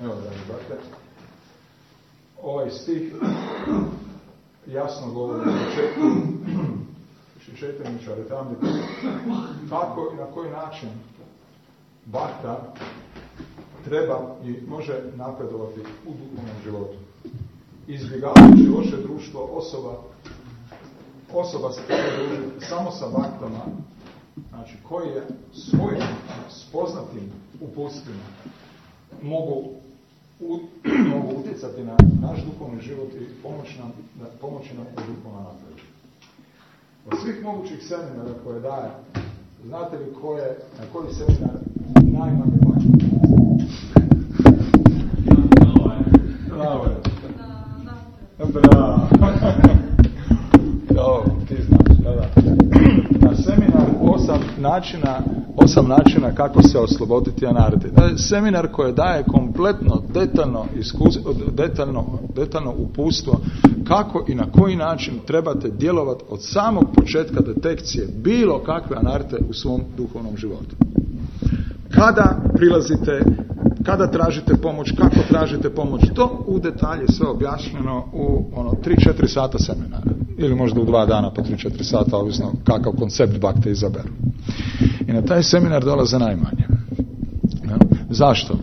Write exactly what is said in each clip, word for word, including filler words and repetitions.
Evo, dragi brate, ovaj stih jasno govori na početku Četrničare tamo kako i na koji način bakta treba i može napredovati u duhovnom životu. Izbjegavajući loše društvo, osoba osoba se treba družiti samo sa baktama, znači koji je svojim spoznatim uputstvima mogu, u, mogu utjecati na naš duhovni život i pomoći nam, pomoći nam u duhovnom napretku. Od svih mogućih seminara koje daje, znate li ko je, na koji seminar najmanje plaća? Bravo je. Bravo. Bravo, ti znaš, da, da. Na seminar osam načina, osam načina kako se osloboditi anarhije. Seminar koji daje kompletno, detaljno, iskus, detaljno, detaljno uputstvo kako i na koji način trebate djelovati od samog početka detekcije bilo kakve anarhije u svom duhovnom životu. Kada prilazite, kada tražite pomoć, kako tražite pomoć, to u detalje sve objašnjeno u ono tri četiri sata seminara. Ili možda u dva dana po tri četiri sata, ovisno kakav koncept bakte izaberu. I na taj seminar dolaze najmanje. Ja? Zašto?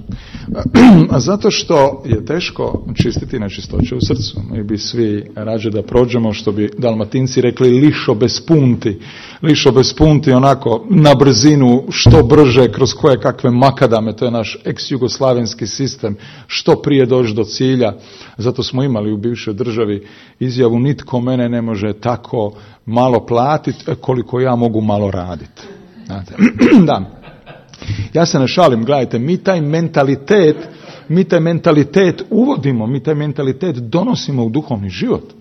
Zato što je teško čistiti nečistoće u srcu. Mi bi svi rađe da prođemo, što bi Dalmatinci rekli, lišo bez punti. Lišo bez punti, onako na brzinu, što brže, kroz koje kakve makadame, to je naš ex-jugoslavenski sistem, što prije doći do cilja. Zato smo imali u bivšoj državi izjavu, nitko mene ne može tako malo platiti koliko ja mogu malo raditi. Znate? Da. Ja se ne šalim, gledajte, mi taj mentalitet, mi taj mentalitet uvodimo, mi taj mentalitet donosimo u duhovni život.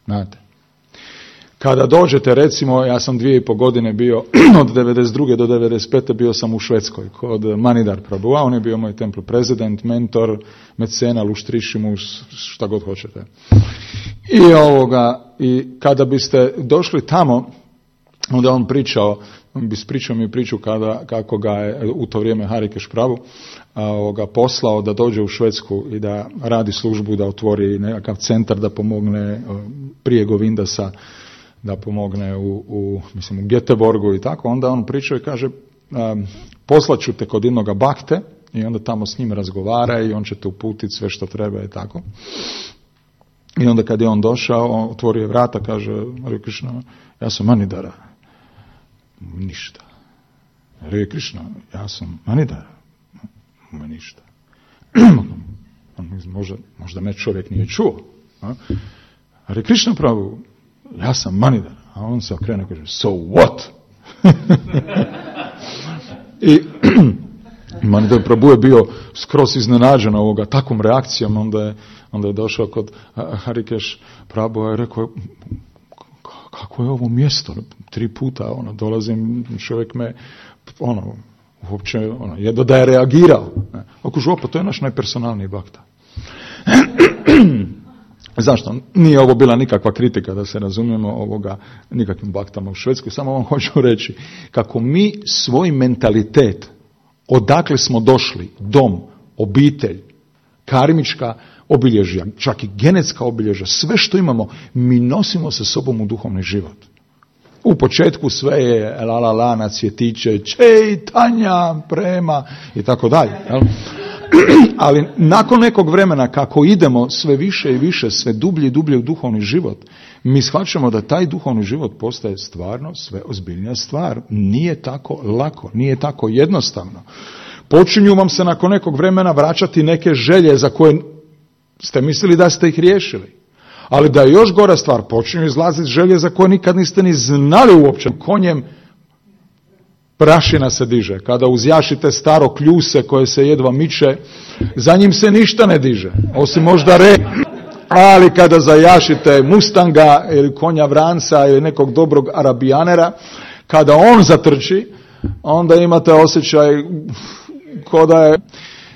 Znate. Kada dođete, recimo, ja sam dvije i po godine bio, od devedeset druge do devedeset pete bio sam u Švedskoj, kod Manidar Prabhuva, on je bio moj temple prezident, mentor, mecena, luštrišimus, šta god hoćete. I ovoga, i kada biste došli tamo, onda on pričao, on bi ispričao mi priču kada, kako ga je u to vrijeme Harikeš Prabhu ga poslao da dođe u Švedsku i da radi službu, da otvori nekakav centar da pomogne prije Govindasa, da pomogne u, u, mislim, u Göteborgu i tako. Onda on pričao i kaže, um, poslaću te kod jednoga bakte i onda tamo s njim razgovara i on će te uputiti sve što treba i tako. I onda kad je on došao, on otvorio vrata, kaže, Hare Krishna, ja sam Manidara. Ništa. Hare Krishna, ja sam Manidara. Ništa. možda, možda me čovjek nije čuo. A? Hare Krishna Prabhu, ja sam Manidara. A on se okrene i kaže, so what? I Manidara Prabhu je bio skroz iznenađen ovoga takvom reakcijom, onda je, onda je došao kod Harikeš Prabhu i rekao, kako je ovo mjesto? Tri puta ono, dolazim, čovjek me ono, uopće ono, jedno da je reagirao. Ako župa, to je naš najpersonalniji bakta. Zašto? Nije ovo bila nikakva kritika, da se razumijemo, ovoga, nikakvim baktama u Švedskoj, samo vam hoću reći kako mi svoj mentalitet, odakle smo došli, dom, obitelj, karmička obilježja, čak i genetska obilježja, sve što imamo, mi nosimo sa sobom u duhovni život. U početku sve je la la la na cvjetiće, Čejtanja, prema i tako dalje. Ali nakon nekog vremena kako idemo sve više i više, sve dublje i dublje u duhovni život, mi shvaćamo da taj duhovni život postaje stvarno sve ozbiljnija stvar. Nije tako lako, nije tako jednostavno. Počinju vam se nakon nekog vremena vraćati neke želje za koje ste mislili da ste ih riješili. Ali da je još gora stvar, počinju izlaziti želje za koje nikad niste ni znali uopće. Konjem prašina se diže. Kada uzjašite staro kljuse koje se jedva miče, za njim se ništa ne diže, osim možda re. Ali kada zajašite mustanga ili konja vranca ili nekog dobrog arabijanera, kada on zatrči, onda imate osjećaj ko da je...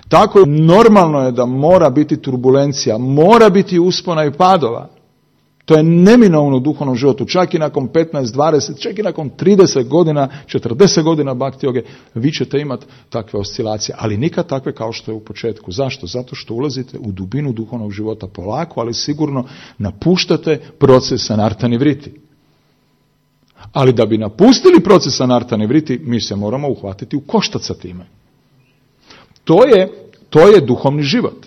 Tako je, normalno je da mora biti turbulencija, mora biti uspona i padova. To je neminovno u duhovnom životu, čak i nakon petnaest, dvadeset, čak i nakon trideset godina, četrdeset godina bhakti joge, vi ćete imati takve oscilacije, ali nikad takve kao što je u početku. Zašto? Zato što ulazite u dubinu duhovnog života polako, ali sigurno napuštate proces anarta nivriti. Ali da bi napustili proces anarta nivriti, mi se moramo uhvatiti u koštac sa time. To je, to je duhovni život.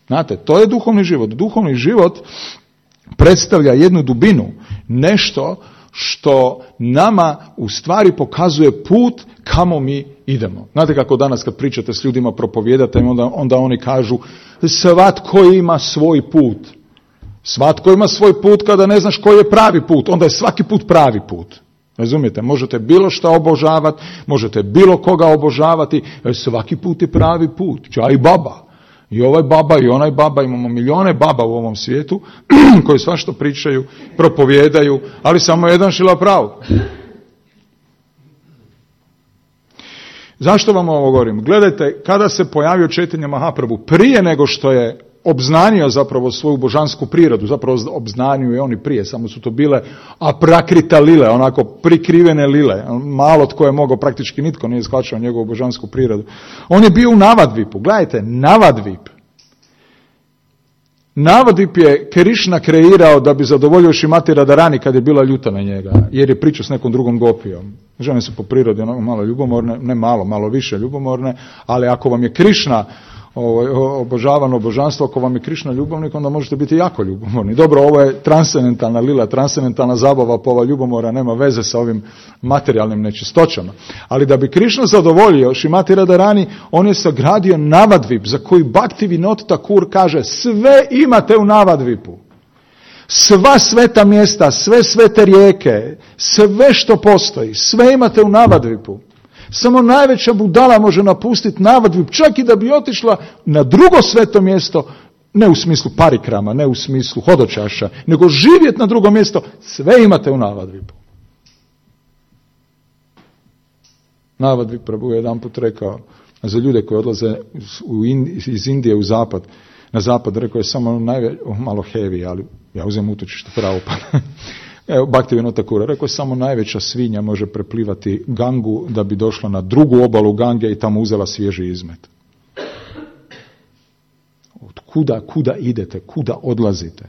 Znate, to je duhovni život. Duhovni život predstavlja jednu dubinu, nešto što nama u stvari pokazuje put kamo mi idemo. Znate kako danas kad pričate s ljudima, propovijedate, onda, onda oni kažu svatko ima svoj put. Svatko ima svoj put kada ne znaš koji je pravi put, onda je svaki put pravi put. Razumijete? Možete bilo šta obožavati, možete bilo koga obožavati, svaki put je pravi put. Čaj baba. I ovaj baba i onaj baba, imamo milijone baba u ovom svijetu koji svašta pričaju, propovijedaju, ali samo jedan šila prav. Zašto vam ovo govorim? Gledajte, kada se pojavio Chaitanya Mahaprabhu, prije nego što je obznanio zapravo svoju božansku prirodu, zapravo obznanio je oni prije, samo su to bile aprakrita lile, onako prikrivene lile, malo tko je mogao, praktički nitko nije shvaćao njegovu božansku prirodu. On je bio u Navadvipu, gledajte, Navadvip. Navadvip je Krišna kreirao da bi zadovoljio Šrimati Radharani kad je bila ljuta na njega, jer je pričao s nekom drugom gopijom. Žene su po prirodi ono, malo ljubomorne, ne malo, malo više ljubomorne, ali ako vam je Krišna obožavano božanstvo, ako vam je Krišna ljubavnik, onda možete biti jako ljubomorni. Dobro, ovo je transcendentalna lila, transcendentalna zabava, pa ova ljubomora nema veze sa ovim materijalnim nečistoćama. Ali da bi Krišna zadovoljio Šrimati Radharani, on je sagradio Navadvip, za koji Bhakti Vinod Thakur kaže, sve imate u Navadvipu. Sva sveta mjesta, sve svete rijeke, sve što postoji, sve imate u Navadvipu. Samo najveća budala može napustiti Navadvip, čak i da bi otišla na drugo sveto mjesto, ne u smislu parikrama, ne u smislu hodočaša, nego živjeti na drugo mjesto, sve imate u Navadvipu. Navadvip Prabhu je jedan put rekao, za ljude koji odlaze iz Indije u zapad, na zapad, rekao je samo najve, oh, malo heavy, ali ja uzem utočište pravo pa. Evo, Bhakti Vinod Thakur rekao je samo najveća svinja može preplivati Gangu da bi došla na drugu obalu Gange i tamo uzela svježi izmet. Od kuda, kuda idete, kuda odlazite,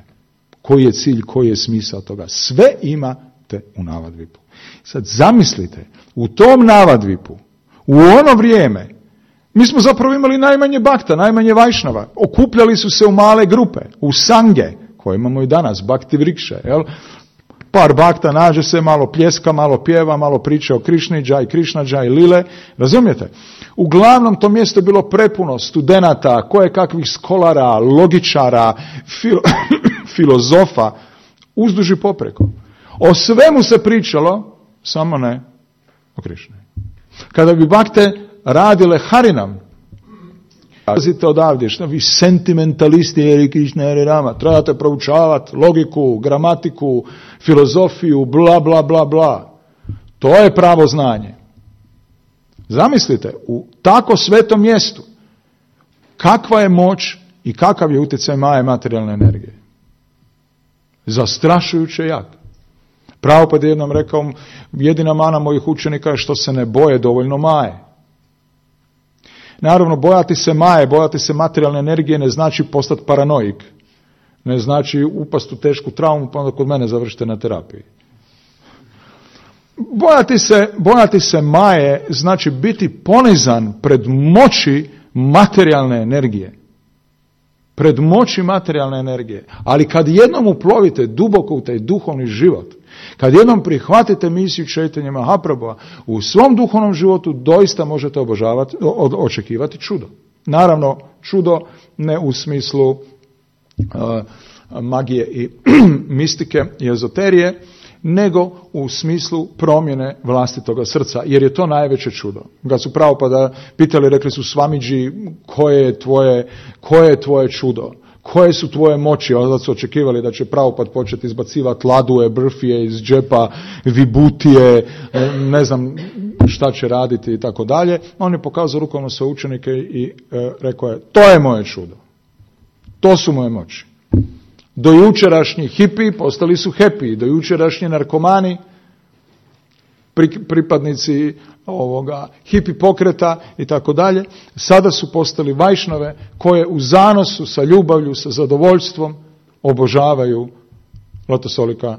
koji je cilj, koji je smisao toga, sve imate u Navadvipu. Sad zamislite, u tom Navadvipu, u ono vrijeme, mi smo zapravo imali najmanje bakta, najmanje vajšnava, okupljali su se u male grupe, u sange, koje imamo i danas, Bhakti Vrikše, jel? Par bakta nađe se, malo pljeska, malo pjeva, malo priča o Krišni, džaj Krišna, džaj Lile, razumijete? Uglavnom to mjesto je bilo prepuno studenata, koje kakvih skolara, logičara, fil, filozofa, uzduž i popreko. O svemu se pričalo, samo ne o Krišni. Kada bi bakte radile Harinam, pazite odavdje, što vi sentimentalisti Hare Krishna Hare Rama, trebate proučavati logiku, gramatiku, filozofiju, bla, bla, bla, bla. To je pravo znanje. Zamislite, u tako svetom mjestu, kakva je moć i kakav je utjecaj maje materijalne energije. Zastrašujuće jak. Prabhupada je jednom rekao, jedina mana mojih učenika je što se ne boje dovoljno maje. Naravno, bojati se maje, bojati se materijalne energije ne znači postati paranoik. Ne znači upast u tešku traumu pa onda kod mene završite na terapiji. Bojati se, bojati se maje znači biti ponizan pred moći materijalne energije. Pred moći materijalne energije. Ali kad jednom uplovite duboko u taj duhovni život, kad jednom prihvatite misiju Chaitanya Mahaprabhua, u svom duhovnom životu doista možete obožavati, očekivati čudo. Naravno, čudo ne u smislu uh, magije i mistike i ezoterije, nego u smislu promjene vlastitoga srca, jer je to najveće čudo. Kad su Prabhupada pitali, rekli su Swamiji, koje je tvoje, koje je tvoje čudo? Koje su tvoje moći? Onda su očekivali da će Prabhupada početi izbacivati laduje, brfije iz džepa, vibutije, ne znam šta će raditi i tako dalje. On je pokazao rukom na svoje učenike i e, rekao je, to je moje čudo. To su moje moći. Dojučerašnji hipi postali su happy, dojučerašnji narkomani, pripadnici ovoga hipi pokreta i tako dalje, sada su postali vajšnave koje u zanosu sa ljubavlju, sa zadovoljstvom obožavaju Lotosolika,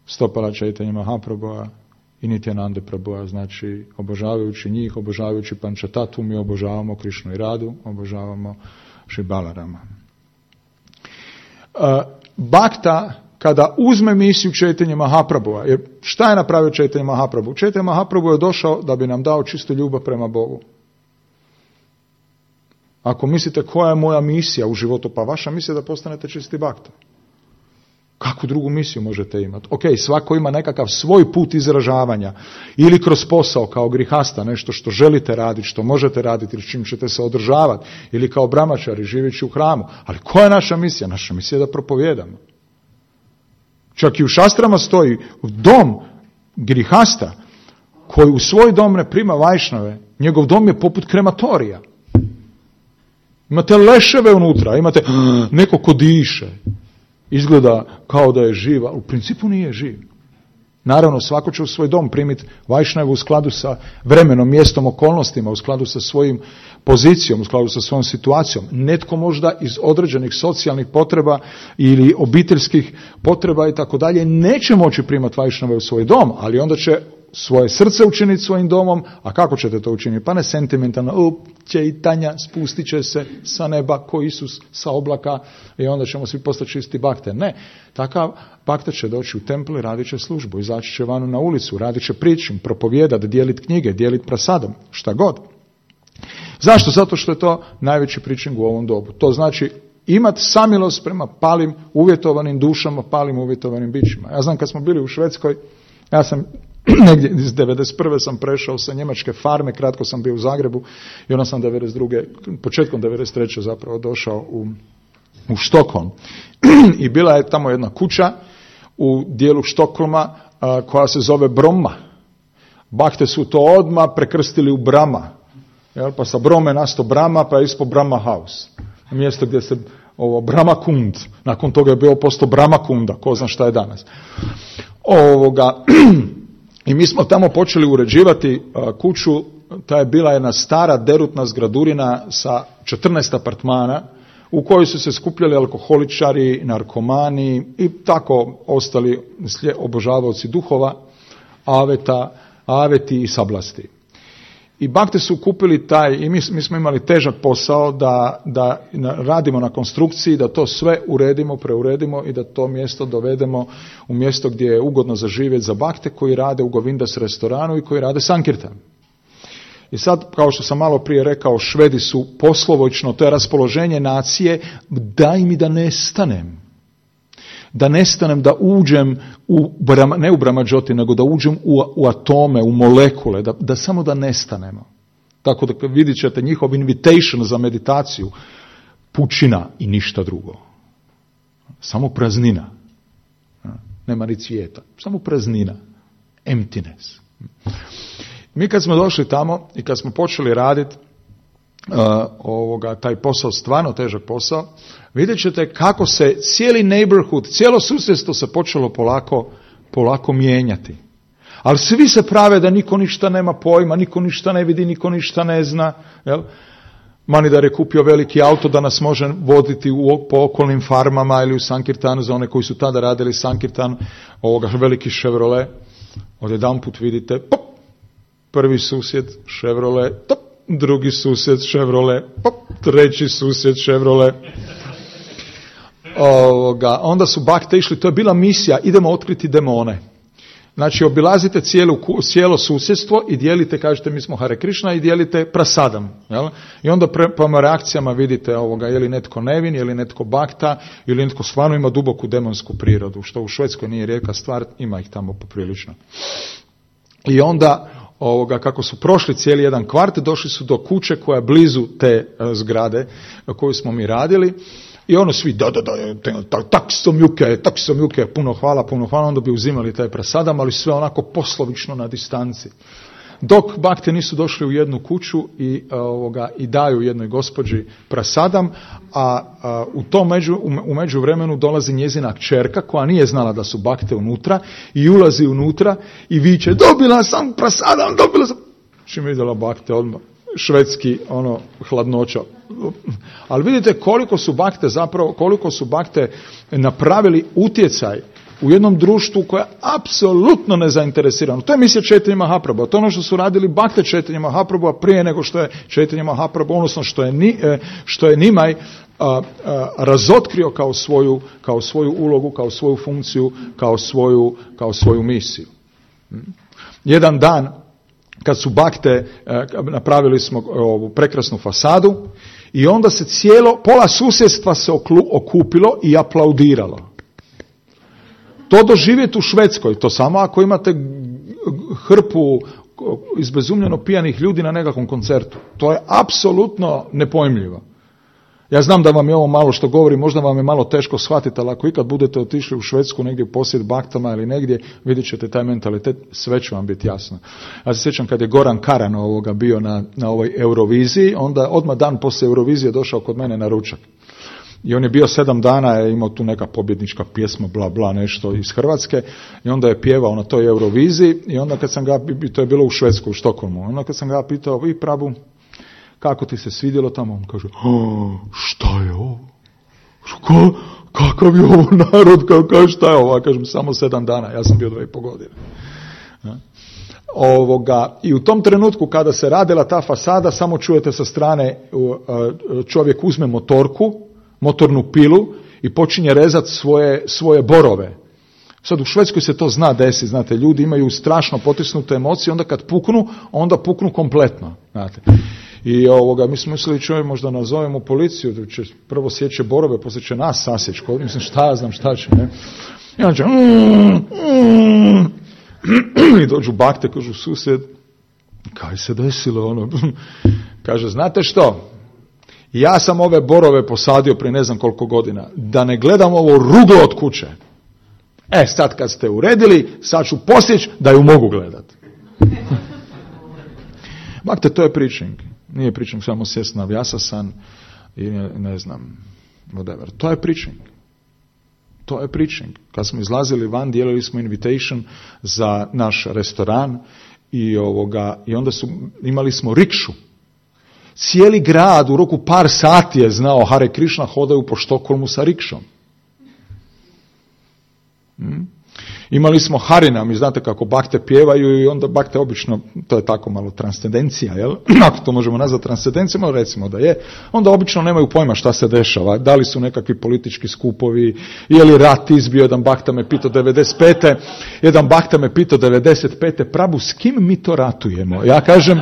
Stopala Chaitanya Mahaprabhua i Nityananda Prabhua, znači obožavajući njih, obožavajući Pančatatu, mi obožavamo Krišnu i Radu, obožavamo Šri Balarama. Uh, Bhakta, kada uzme misiju Chaitanya Mahaprabhua, jer šta je napravio Chaitanya Mahaprabhu? Chaitanya Mahaprabhu je došao da bi nam dao čistu ljubav prema Bogu. Ako mislite koja je moja misija u životu, pa vaša misija je da postanete čisti bhakta. Kakvu drugu misiju možete imati? Ok, svako ima nekakav svoj put izražavanja, ili kroz posao kao grihasta, nešto što želite raditi, što možete raditi, ili s čim ćete se održavati, ili kao brahmačari živeći u hramu. Ali koja je naša misija? Naša misija je da propovijedamo. Čak i u šastrama stoji dom grihasta koji u svoj dom ne prima vajšnave, njegov dom je poput krematorija. Imate leševe unutra, imate neko ko diše. Izgleda kao da je živa, u principu nije živ. Naravno, svako će u svoj dom primiti vajšnavu u skladu sa vremenom, mjestom, okolnostima, u skladu sa svojim pozicijom, u skladu sa svojom situacijom. Netko možda iz određenih socijalnih potreba ili obiteljskih potreba i tako dalje neće moći primati vajšnave u svoj dom, ali onda će svoje srce učiniti svojim domom. A kako ćete to učiniti? Pa ne sentimentalno, o, Chaitanya spustit će se sa neba ko Isus sa oblaka i onda ćemo svi postati čisti bakte. Ne, takav bakta će doći u templu i radit će službu, izaći će vanu na ulicu, radit će pričim, propovijedati, dijeliti knjige, dijeliti prasadom, šta god. Zašto? Zato što je to najveći pričing u ovom dobu. To znači imati samilost prema palim uvjetovanim dušama, palim uvjetovanim bićima. Ja znam kad smo bili u Švedskoj, ja sam negdje iz devedeset prve sam prešao sa njemačke farme, kratko sam bio u Zagrebu i onda sam devedeset druge početkom devedeset treće zapravo došao u, u Štokholm. I bila je tamo jedna kuća u dijelu Štokholma a, koja se zove Bromma. Bakte su to odmah prekrstili u Brama. Jel? Pa sa Brome nasto Brama, pa je ispod Brahma House. Mjesto gdje se ovo Brahma Kund, nakon toga je bio posto Brahma Kunda, ko zna šta je danas. Ovoga... I mi smo tamo počeli uređivati kuću, ta je bila jedna stara derutna zgradurina sa četrnaest apartmana u kojoj su se skupljali alkoholičari, narkomani i tako ostali obožavaoci duhova, aveta, aveti i sablasti. I bakte su kupili taj, i mi, mi smo imali težak posao da, da radimo na konstrukciji, da to sve uredimo, preuredimo i da to mjesto dovedemo u mjesto gdje je ugodno za živjeti za bakte koji rade u Govindas restoranu i koji rade sankirtan. I sad, kao što sam malo prije rekao, Švedi su poslovočno, to je raspoloženje nacije, daj mi da nestanem. Da nestanem, da uđem, u, ne u Brahmađoti, nego da uđem u, u atome, u molekule, da, da samo da nestanemo. Tako da vidjet ćete njihov invitation za meditaciju, pučina i ništa drugo. Samo praznina. Nema ni cvijeta, samo praznina. Emptiness. Mi kad smo došli tamo i kad smo počeli raditi Uh, ovoga, taj posao, stvarno težak posao, vidjet ćete kako se cijeli neighborhood, cijelo susjedstvo se počelo polako, polako mijenjati. Ali svi se prave da niko ništa nema pojma, niko ništa ne vidi, niko ništa ne zna. Jel? Manidar je kupio veliki auto da nas može voditi u, po okolnim farmama ili u Sankirtanu za one koji su tada radili Sankirtan, ovoga veliki Chevrolet. Odjedanput vidite, pop, prvi susjed Chevrolet, top, drugi susjed Chevrolet, pop, treći susjed Chevrolet. Ovoga, onda su bakte išli, to je bila misija, idemo otkriti demone. Znači, obilazite cijelu, cijelo susjedstvo i dijelite, kažete mi smo Hare Krishna i dijelite prasadam. Jel? I onda pre, prema reakcijama vidite ovoga, je li netko nevin, je li netko bakta, ili netko stvarno ima duboku demonsku prirodu, što u Švedskoj nije rijetka stvar, ima ih tamo poprilično. I onda, ovoga, kako su prošli cijeli jedan kvart, došli su do kuće koja je blizu te zgrade koju smo mi radili. I ono svi, da, da, da, tak sam juke, tak sam juke, puno hvala, puno hvala, onda bi uzimali taj prasadam, ali sve onako poslovično na distanci. dok bakte nisu došli u jednu kuću i, ovoga, i daju jednoj gospođi prasadam, a, a u tom među, u međuvremenu dolazi njezina kćerka koja nije znala da su bakte unutra i ulazi unutra i viče, dobila sam prasadam, dobila sam. Čim je vidjela bakte odmah, švedski ono hladnoća. Ali vidite koliko su bakte zapravo, koliko su bakte napravili utjecaj u jednom društvu koje je apsolutno nezainteresirano. To je misija Četinja Mahaprabhu. To je ono što su radili bakte Četinja Mahaprabhu prije nego što je Četinja Mahaprabhu, odnosno što je, ni, što je Nimaj a, a, razotkrio kao svoju, kao svoju ulogu, kao svoju funkciju, kao svoju, kao svoju misiju. Jedan dan kad su bakte, napravili smo ovu prekrasnu fasadu i onda se cijelo, pola susjedstva se okupilo i aplaudiralo. To doživjeti u Švedskoj, to samo ako imate hrpu izbezumljeno pijanih ljudi na nekakvom koncertu. To je apsolutno nepojmljivo. Ja znam da vam je ovo malo što govorim, možda vam je malo teško shvatiti, ali ako ikad budete otišli u Švedsku negdje u posjet baktama ili negdje, vidjet ćete taj mentalitet, sve će vam biti jasno. Ja se sjećam kad je Goran Karan ovoga bio na, na ovoj Euroviziji, onda odmah dan poslije Eurovizije došao kod mene na ručak. I on je bio sedam dana, je imao tu neka pobjednička pjesma, bla, bla, nešto iz Hrvatske, i onda je pjevao na toj Euroviziji, i onda kad sam ga, to je bilo u Švedsku, u Štokholmu, onda kad sam ga pitao, vi Prabu, kako ti se svidjelo tamo? On kaže, šta je ovo? Ka, kakav je ovo narod? Kao, kao, šta je ovo? Kažem, samo sedam dana, ja sam bio dva i po godine. Ovoga, i u tom trenutku kada se radila ta fasada, samo čujete sa strane, čovjek uzme motorku, motornu pilu i počinje rezati svoje, svoje borove. Sad u Švedskoj se to zna desiti, znate, ljudi imaju strašno potisnute emocije, onda kad puknu, onda puknu kompletno, znate. I ovoga, mi smo mislili, čovjek, možda nazovemo policiju, da će prvo sjeće borove, poslije će nas sasjeći, mislim, šta ja znam, šta će, ne? I onda će, mm, mm, i dođu bakte, kažu, susjed, kaj se desilo, ono, kaže, znate što, ja sam ove borove posadio prije ne znam koliko godina, da ne gledam ovo ruglo od kuće. E, sad kad ste uredili, sad ću posjeći da ju mogu gledati. Bakte, to je preaching. Nije preaching samo sjest na vjasasan i ne, ne znam, whatever. To je preaching. To je preaching. Kad smo izlazili van, dijelili smo invitation za naš restoran i, ovoga, i onda su, imali smo rikšu. Cijeli grad u roku par sati je znao Hare Krishna, hodaju po Štokholmu sa rikšom. Hmm? Imali smo Harinam i znate kako bakte pjevaju i onda bakte obično, to je tako malo transcendencija, jel? Ako to možemo nazvati transcendencijom, recimo da je, onda obično nemaju pojma šta se dešava, da li su nekakvi politički skupovi, je li rat izbio, jedan bakta me pitao devedeset pete jedan bakta me pitao devedeset pete Prabu, s kim mi to ratujemo? Ja kažem,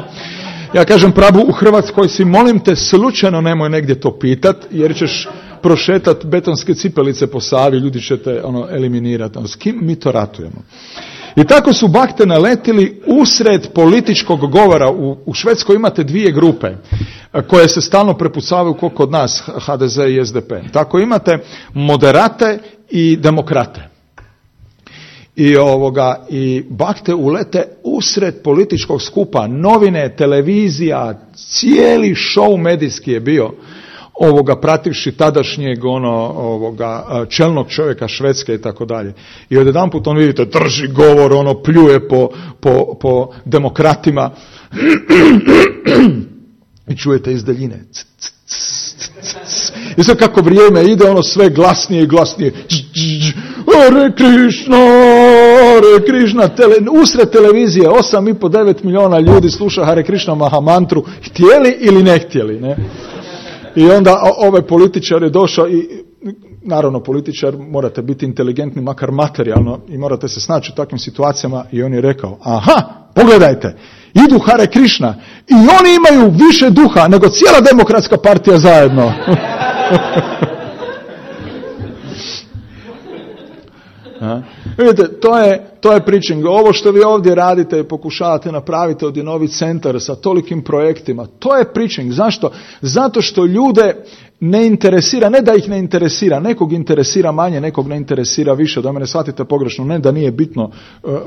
ja kažem Prabu, u Hrvatskoj si, molim te, slučajno nemoj negdje to pitat, jer ćeš prošetat betonske cipelice po Savi, ljudi će te ono, eliminirati. Ono, s kim mi to ratujemo? I tako su bakte naletili usred političkog govora. U, u Švedskoj imate dvije grupe koje se stalno prepucavaju kao kod nas, ha de ze i es de pe. Tako imate moderate i demokrate. I, ovoga, i bakte ulete usred političkog skupa. Novine, televizija, cijeli show medijski je bio, ovoga, prativši tadašnjeg ono, ovoga, čelnog čovjeka Švedske i tako dalje. I odjedanput on, vidite, drži govor, ono, pljuje po, po, po demokratima i čujete iz daljine. I sad kako vrijeme ide, ono sve glasnije i glasnije. Hare Krishna, Hare Krishna, tele, usred televizije osam i pol do devet milijuna ljudi sluša Hare Krishna Mahamantru, htjeli ili ne htjeli, ne? I onda ovaj političar je došao i, naravno političar, morate biti inteligentni makar materijalno i morate se snaći u takvim situacijama, i on je rekao, aha, pogledajte, idu Hare Krishna i oni imaju više duha nego cijela demokratska partija zajedno. A? Vidite, to je, to je preaching. Ovo što vi ovdje radite i pokušavate napraviti ovdje novi centar sa tolikim projektima, to je preaching. Zašto? Zato što ljude ne interesira, ne da ih ne interesira, nekog interesira manje, nekog ne interesira više, da me ne shvatite pogrešno, ne da nije bitno uh, uh,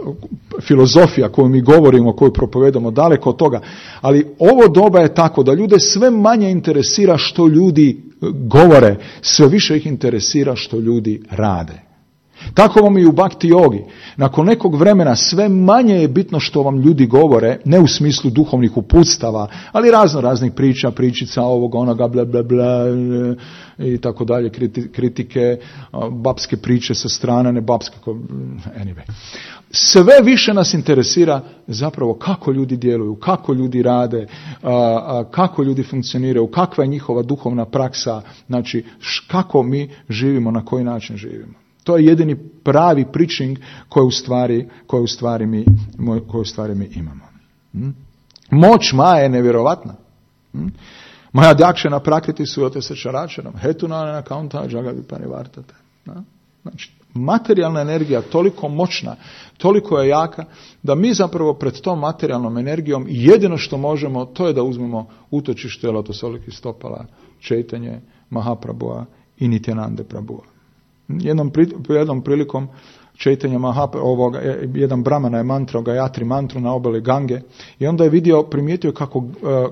uh, filozofija koju mi govorimo, koju propovedamo, daleko od toga, ali ovo doba je tako da ljude sve manje interesira što ljudi govore, sve više ih interesira što ljudi rade. Tako vam i u Bhakti jogi. Nakon nekog vremena sve manje je bitno što vam ljudi govore, ne u smislu duhovnih uputstava, ali razno raznih priča, pričica ovoga, onoga, bla, bla, bla, i tako dalje, kritike, babske priče sa strane, ne babske, anyway. Sve više nas interesira zapravo kako ljudi djeluju, kako ljudi rade, kako ljudi funkcioniraju, kakva je njihova duhovna praksa, znači kako mi živimo, na koji način živimo. To je jedini pravi preaching koji u stvari, koji u stvari, mi, koji u stvari mi imamo. Hmm? Moć Maje je nevjerovatna. Hmm? Maja dakšena prakriti sujate sa čaračarom. Hetunane na kaunta džagavi panivartate. Znači, materijalna energija toliko moćna, toliko je jaka, da mi zapravo pred tom materijalnom energijom jedino što možemo, to je da uzmemo utočište Lotosolikih stopala, Čejtanje Mahaprabhua i Nityanande Prabhua. Jednom, jednom prilikom Čejtanja Mahaprabhua, ovoga, jedan brahmana je mantrao Gayatri mantru na obali Gange i onda je vidio, primijetio kako,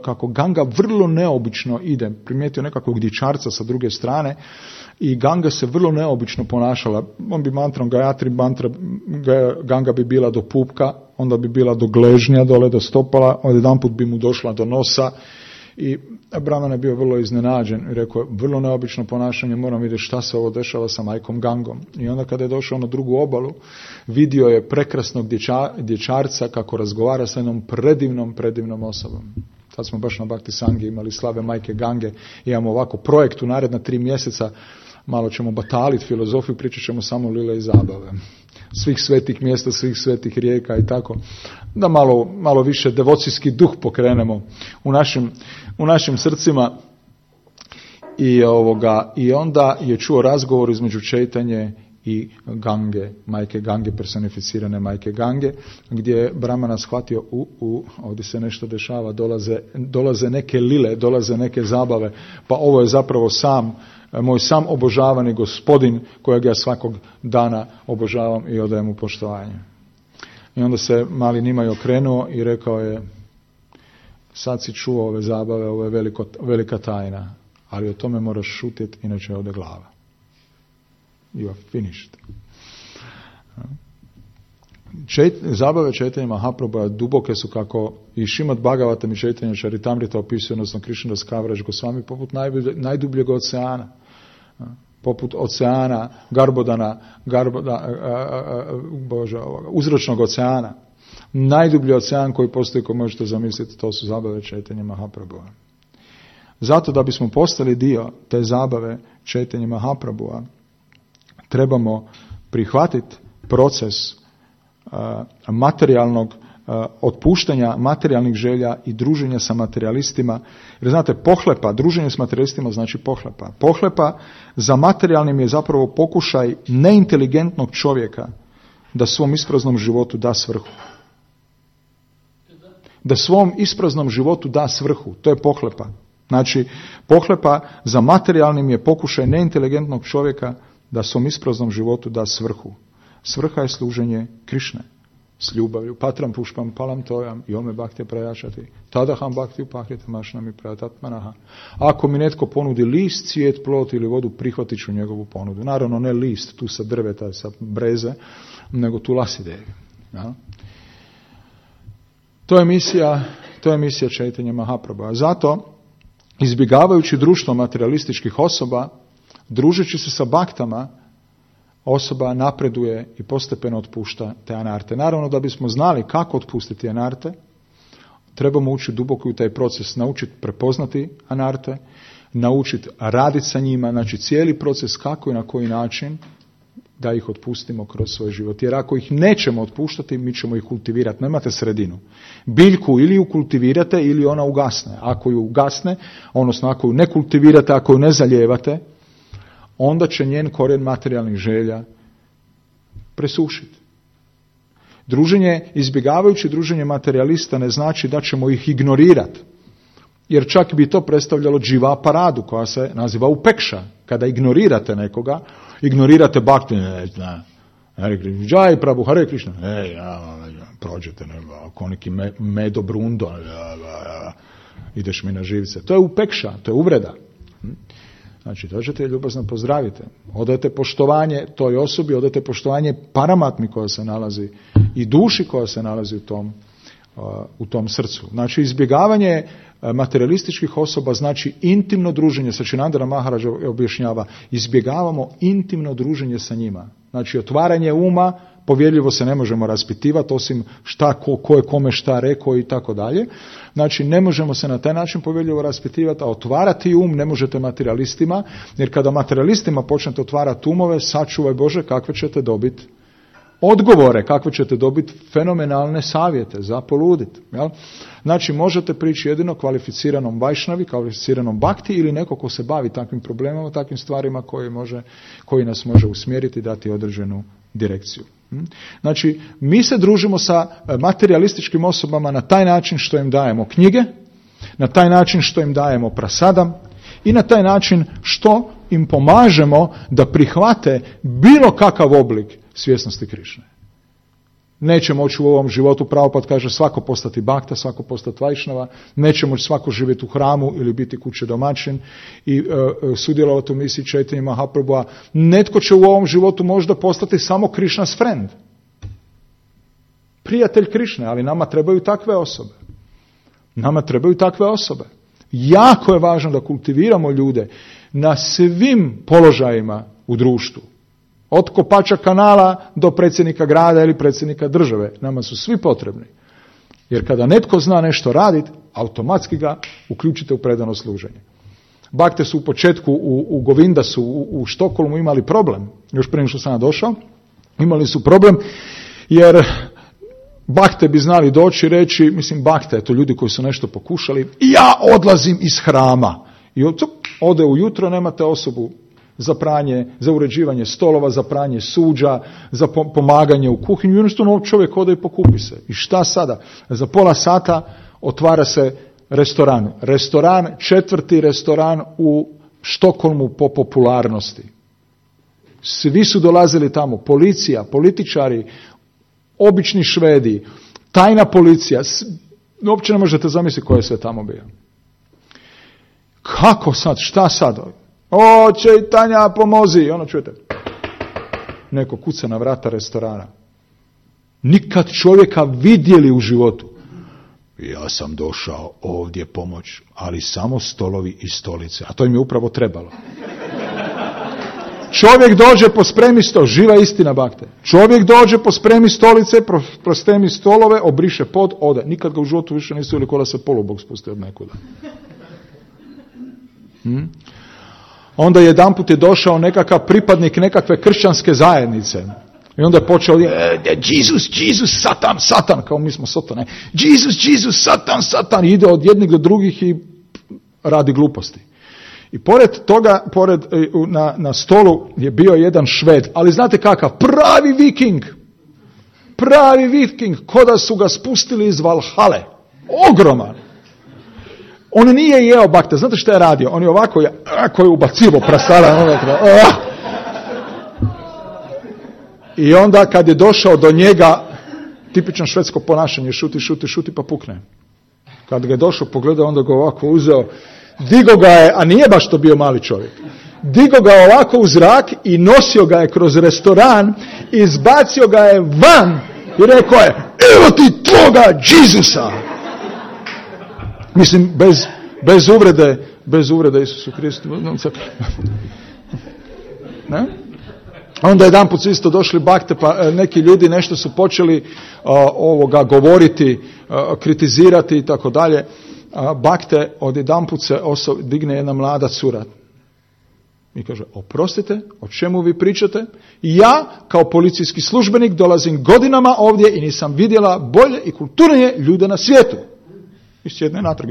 kako Ganga vrlo neobično ide. Primijetio nekakvog dječarca sa druge strane i Ganga se vrlo neobično ponašala. On bi mantrom Gayatri mantra, Ganga bi bila do pupka, onda bi bila do gležnja, dole do stopala, odjedanput bi mu došla do nosa. I brahman je bio vrlo iznenađen i rekao, vrlo neobično ponašanje, moram vidjeti šta se ovo dešava sa majkom Gangom. I onda kada je došao na drugu obalu, vidio je prekrasnog dječa, dječarca kako razgovara sa jednom predivnom, predivnom osobom. Sad smo baš na Bhakti Sangi imali slave majke Gange, imamo ovako projekt u naredna tri mjeseca, malo ćemo bataliti filozofiju, pričat ćemo samo lile i zabave. Svih svetih mjesta, svih svetih rijeka i tako. Da malo, malo više devocijski duh pokrenemo u našim, u našim srcima. I, ovoga, I onda je čuo razgovor između Čejtanje i Gange, majke Gange, personificirane majke Gange, gdje je Brahmana shvatio, u, u, ovdje se nešto dešava, dolaze, dolaze neke lile, dolaze neke zabave, pa ovo je zapravo sam moj sam obožavani gospodin kojeg ja svakog dana obožavam i odajem mu poštovanje. I onda se mali Nimaj okrenuo i rekao je, sad si čuo ove zabave, ovo je veliko, velika tajna, ali o tome moraš šutjeti, inače ode glava. You are finished. Čet, zabave Čejtanje Mahaprabhua duboke su kako i Šimad Bhagavatam i Čejtanje Charitamrita opisuju, odnosno Krishnadas Kaviraj Goswami, poput najdublje, najdubljeg oceana. Poput oceana, Garbodana, Garboda, a, a, a, Bože, ovoga, uzročnog oceana. Najdublji ocean koji postoji, koji možete zamisliti, to su zabave Čejtanje Mahaprabhua. Zato da bismo postali dio te zabave Čejtanje Mahaprabhua, trebamo prihvatiti proces materijalnog otpuštanja materijalnih želja i druženja sa materijalistima. Jer znate, pohlepa, druženje s materijalistima znači pohlepa. Pohlepa za materijalnim je zapravo pokušaj neinteligentnog čovjeka da svom ispraznom životu da svrhu. Da svom ispraznom životu da svrhu. To je pohlepa. Znači, pohlepa za materijalnim je pokušaj neinteligentnog čovjeka da svom ispraznom životu da svrhu. Svrha je služenje Krišne s ljubavlju. Patram pušpam palam tojam i ome bhakti prajačati. Tadaham bhakti upahite mašnami prajatatmanaha. Ako mi netko ponudi list, cvijet, plot ili vodu, prihvatit ću njegovu ponudu. Naravno ne list tu sa drveta, sa breze, nego tu lasidevi. Ja? To je misija, to je misija Čejtanje Mahaprabhua. Zato, izbjegavajući društvo materialističkih osoba, družeći se sa baktama, osoba napreduje i postepeno otpušta te anarte. Naravno, da bismo znali kako otpustiti anarte, trebamo ući duboko u taj proces, naučiti prepoznati anarte, naučiti raditi sa njima, znači cijeli proces kako i na koji način da ih otpustimo kroz svoj život. Jer ako ih nećemo otpuštati, mi ćemo ih kultivirati. Nemate sredinu. Biljku ili ju kultivirate ili ona ugasne. Ako ju ugasne, odnosno ako ju ne kultivirate, ako ju ne zalijevate, onda će njen korijen materijalnih želja presušiti. Druženje, izbjegavajući druženje materijalista ne znači da ćemo ih ignorirati. Jer čak bi to predstavljalo dživa paradu koja se naziva upekša. Kada ignorirate nekoga, ignorirate bhakti, ne zna, Jai Prabhu, Hare Krishna, ej, prođete, koniki me, medo brundo, ideš mi na živce. To je upekša, to je uvreda. Znači, dođete i ljubazno pozdravite. Odajte poštovanje toj osobi, odajte poštovanje paramatmi koja se nalazi i duši koja se nalazi u tom, u tom srcu. Znači, izbjegavanje materialističkih osoba znači intimno druženje. Sačinandana Maharađa objašnjava, izbjegavamo intimno druženje sa njima. Znači, otvaranje uma, povjerljivo se ne možemo raspitivati, osim šta, ko, ko je kome šta rekao i tako dalje. Znači, ne možemo se na taj način povjerljivo raspitivati, a otvarati um ne možete materialistima, jer kada materialistima počnete otvarati umove, sačuvaj Bože, kakve ćete dobiti odgovore, kakve ćete dobiti fenomenalne savjete za poluditi. Jel? Znači, možete prići jedino kvalificiranom vajšnavi, kvalificiranom bhakti ili neko ko se bavi takvim problemama, takvim stvarima koji, može, koji nas može usmjeriti, dati određenu direkciju. Znači, mi se družimo sa materialističkim osobama na taj način što im dajemo knjige, na taj način što im dajemo prasadam i na taj način što im pomažemo da prihvate bilo kakav oblik svjesnosti Krišne. Neće moći u ovom životu, Prabhupada kaže, svako postati bhakta, svako postati vajšnava, neće moći svako živjeti u hramu ili biti kuće domaćin i uh, sudjelovati u misiji Chaitanya Mahaprabhua. Netko će u ovom životu možda postati samo Krishna's friend. Prijatelj Krišne, ali nama trebaju takve osobe. Nama trebaju takve osobe. Jako je važno da kultiviramo ljude na svim položajima u društvu. Od kopača kanala do predsjednika grada ili predsjednika države. Nama su svi potrebni. Jer kada netko zna nešto raditi, automatski ga uključite u predano služenje. Bakte su u početku u, u Govindasu, u, u Štokholmu imali problem. Još prije što sam došao, imali su problem jer bakte bi znali doći i reći, mislim bakte, to ljudi koji su nešto pokušali, ja odlazim iz hrama. I ode ujutro, nemate osobu za pranje, za uređivanje stolova, za pranje suđa, za pomaganje u kuhinju. I jednostavno čovjek ode i pokupi se. I šta sada? Za pola sata otvara se restoran. Restoran, četvrti restoran u Štokholmu po popularnosti. Svi su dolazili tamo. Policija, političari, obični Švedi, tajna policija. Uopće ne možete zamisliti ko je sve tamo bio. Kako sad? Šta sad? O, Čejtanja, pomozi. Ono čujete. Neko kuca na vrata restorana. Nikad čovjeka vidjeli u životu. Ja sam došao ovdje pomoć, ali samo stolovi i stolice. A to im je upravo trebalo. Čovjek dođe po spremi stol, živa istina bakte. Čovjek dođe po spremi stolice, prostemi stolove, obriše pod, ode. Nikad ga u životu više nisu ili kola se polubog spusti od nekuda. Hmm? Onda jedanput je došao nekakav pripadnik nekakve kršćanske zajednice. I onda je počeo, Jesus, Jesus, Satan, Satan, kao mi smo Satan, Jesus, Jesus, Satan, Satan, ide od jednih do drugih i radi gluposti. I pored toga, pored, na, na stolu je bio jedan Šved, ali znate kakav, pravi viking, pravi viking, ko da su ga spustili iz Valhale, ogroman. On nije jeo bakte, znate što je radio? On je ovako, ako je ubacivo prasala, i onda kad je došao do njega, tipično švedsko ponašanje, šuti, šuti, šuti pa pukne. Kad ga je došao, pogledao, onda ga ovako uzeo, digo ga je, a nije baš to bio mali čovjek, digo ga ovako u zrak i nosio ga je kroz restoran, izbacio ga je van i rekao je, evo ti tvoga Jezusa. Mislim, bez, bez uvrede, bez uvrede Isusu Kristu. Ne? Onda jedan put su isto došli bakte, pa neki ljudi nešto su počeli uh, ovoga govoriti, uh, kritizirati i tako dalje. Bakte, od jedan put se oso, digne jedna mlada cura i kaže, oprostite, o čemu vi pričate? Ja, kao policijski službenik, dolazim godinama ovdje i nisam vidjela bolje i kulturnije ljude na svijetu. I sjedne natrag.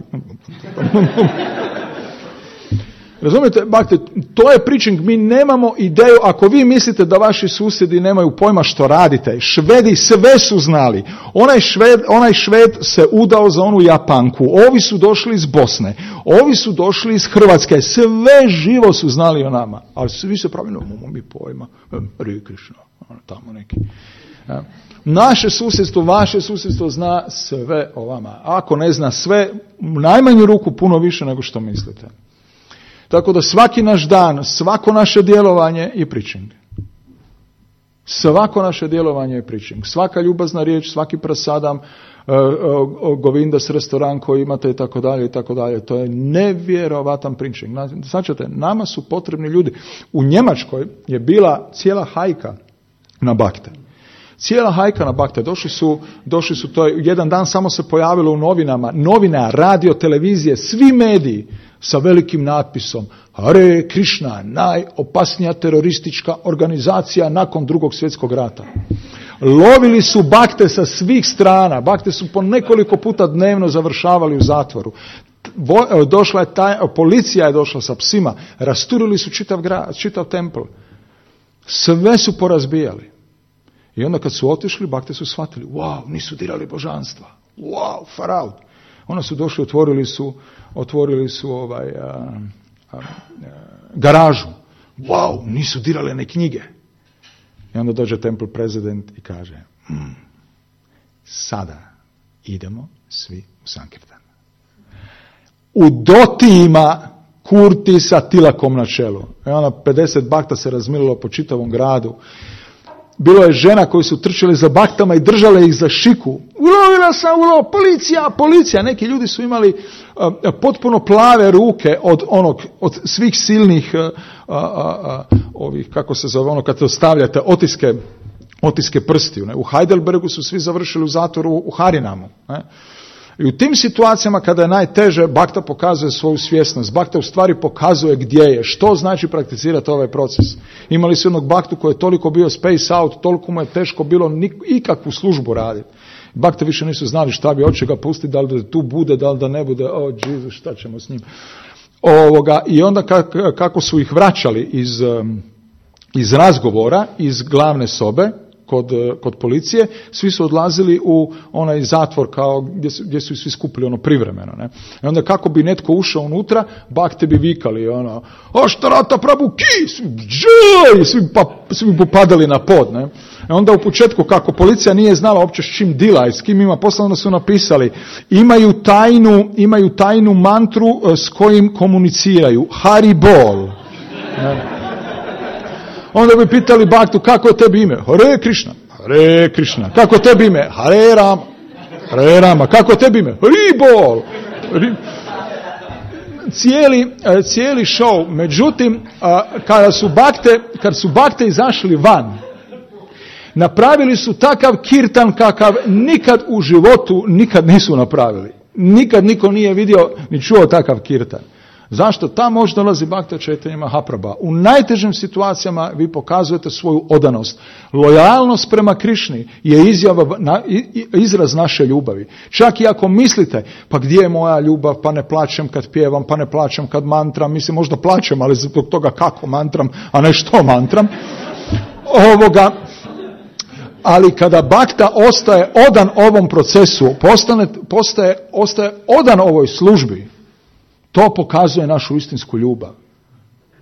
Razumijete, bakte, to je preaching, mi nemamo ideju, ako vi mislite da vaši susjedi nemaju pojma što radite, Švedi sve su znali, onaj Šved, onaj Šved se udao za onu Japanku, ovi su došli iz Bosne, ovi su došli iz Hrvatske, sve živo su znali o nama, ali svi se pravi, nemamo mi pojma, Hare Krishna, tamo neki. Ja. Naše susjedstvo, vaše susjedstvo zna sve o vama, ako ne zna sve, u najmanju ruku puno više nego što mislite. Tako da svaki naš dan, svako naše djelovanje je preaching. Svako naše djelovanje je preaching. Svaka ljubazna riječ, svaki prasadam, uh, uh, Govindas restoran koji imate i tako dalje i tako dalje. To je nevjerovatan preaching. Značite, nama su potrebni ljudi. U Njemačkoj je bila cijela hajka na bakte. Cijela hajka na bakte. Došli su, došli su to jedan dan samo se pojavilo u novinama, novina, radio, televizije, svi mediji sa velikim natpisom Hare Krishna, najopasnija teroristička organizacija nakon drugog svjetskog rata. Lovili su bakte sa svih strana, bakte su po nekoliko puta dnevno završavali u zatvoru. Došla je taj, policija je došla sa psima, rasturili su čitav grad, čitav templ. Sve su porazbijali. I onda kad su otišli, bakte su shvatili, wow, nisu dirali božanstva. Wow, far out. Onda su došli, otvorili su, otvorili su ovaj, a, a, a, garažu. Wow, nisu dirale ne knjige. I onda dođe Temple President i kaže, mm, sada idemo svi u Sankirtan. U Dotijima Kurti sa Tilakom na čelu. I onda pedeset bakta se razmililo po čitavom gradu. Bilo je žena koji su trčali za baktama i držale ih za šiku. Ulovila sam, ulovila, policija, policija. Neki ljudi su imali uh, potpuno plave ruke od onog, od svih silnih, uh, uh, uh, ovih, kako se zove, ono kad to stavljate, otiske, otiske prstiju. Ne? U Heidelbergu su svi završili u zatvoru u Harinamu. Ne? I u tim situacijama kada je najteže, bakta pokazuje svoju svjesnost. Bakta u stvari pokazuje gdje je, što znači prakticirati ovaj proces. Imali su jednog baktu koji je toliko bio space out, toliko mu je teško bilo nik- ikakvu službu raditi. Bakte više nisu znali šta bi, hoće ga pustiti, da li da tu bude, da li da ne bude, o oh, Jesus, šta ćemo s njim. Ovoga, i onda kako, kako su ih vraćali iz, iz razgovora, iz glavne sobe, Kod, kod policije, svi su odlazili u onaj zatvor kao gdje su, gdje su svi skupili ono privremeno. Ne? I onda kako bi netko ušao unutra, bakte bi vikali ono, Aštarata Prabhu ki, svi, svi, pa, svi bi popadali na pod. Ne? I onda u početku kako policija nije znala uopće s čim dila i s kim ima posla, onda su napisali imaju tajnu, imaju tajnu mantru s kojim komuniciraju, Hari Bol. Ne? Onda bi pitali baktu, kako je tebi ime? Hare Krishna. Hare Krishna. Kako je tebi ime? Hare Rama. Hare Rama. Kako je tebi ime? Hari Bol. Cijeli, cijeli show. Međutim, kada su bakte, kad su bakte izašli van, napravili su takav kirtan kakav nikad u životu nikad nisu napravili. Nikad niko nije vidio ni čuo takav kirtan. Zašto? Tam može dolazi bakta Chaitanya Mahaprabhu. U najtežim situacijama vi pokazujete svoju odanost. Lojalnost prema Krišni je izjava, na, izraz naše ljubavi. Čak i ako mislite, pa gdje je moja ljubav, pa ne plaćem kad pjevam, pa ne plaćem kad mantram, mislim možda plaćem, ali zbog toga kako mantram, a ne što mantram. Ovoga, ali kada bakta ostaje odan ovom procesu, postane, postaje, ostaje odan ovoj službi, to pokazuje našu istinsku ljubav.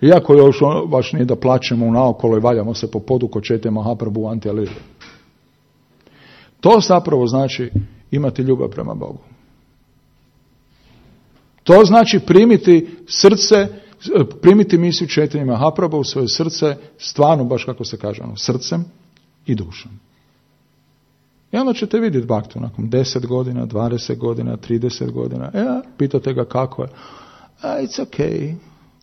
Iako još baš nije da plaćemo naokolo i valjamo se po podu kod Chaitanya Mahaprabhu anti-alili. To zapravo znači imati ljubav prema Bogu. To znači primiti srce, primiti misiju Chaitanya Mahaprabhu u svoje srce, stvarno baš kako se kaže, ono, srcem i dušom. I onda ćete vidjeti baktu nakon deset godina, dvadeset godina, trideset godina. E, pitate ga kako je. A, it's okay.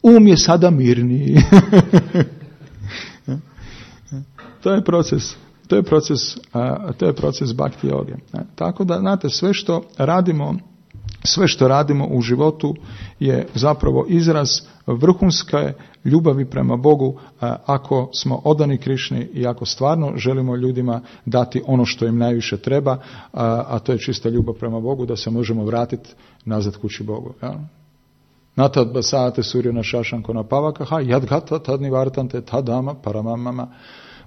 Um je sada mirniji. To je proces. To je proces, a, to je proces bhakti joge. Tako da, znate, sve što radimo, sve što radimo u životu je zapravo izraz vrhunske ljubavi prema Bogu, ako smo odani Krišni i ako stvarno želimo ljudima dati ono što im najviše treba, a to je čista ljubav prema Bogu, da se možemo vratiti nazad kući Bogu. Ja? Natad basate suryo na šašanko na pavakaha, jadgata tadni vartante tadama paramamama.